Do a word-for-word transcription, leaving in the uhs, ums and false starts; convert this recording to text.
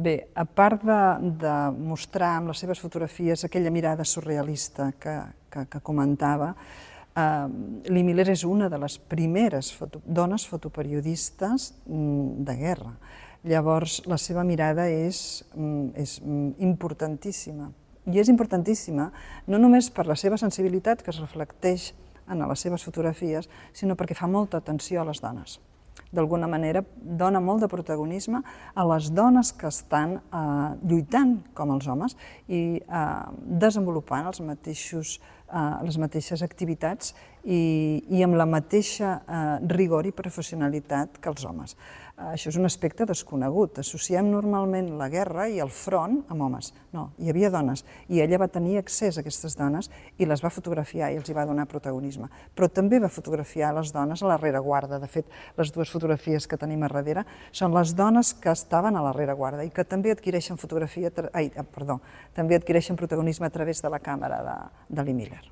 Bé, a part de, de mostrar amb les seves fotografies aquella mirada surrealista que, que, que comentava, eh, Lee Miller és una de les primeres foto, dones fotoperiodistes de guerra. Llavors, la seva mirada és, és importantíssima. I és importantíssima no només per la seva sensibilitat, que es reflecteix en les seves fotografies, sinó perquè fa molta atenció a les dones. D'alguna manera, dona molt de protagonisme a les dones que estan eh, lluitant com els homes i eh, desenvolupant els mateixos, eh, les mateixes activitats i, i amb la mateixa eh, rigor i professionalitat que els homes. Eh, això és un aspecte desconegut. Associem normalment la guerra i el front amb homes. No, hi havia dones i ella va tenir accés a aquestes dones i les va fotografiar i els hi va donar protagonisme. Però també va fotografiar les dones a la rereguarda. De fet, les dues fotografies que tenim a darrere són les dones que estaven a la rereguarda i que també adquireixen fotografia, ai, perdó, també adquireixen protagonisme a través de la càmera de, de Lee Miller.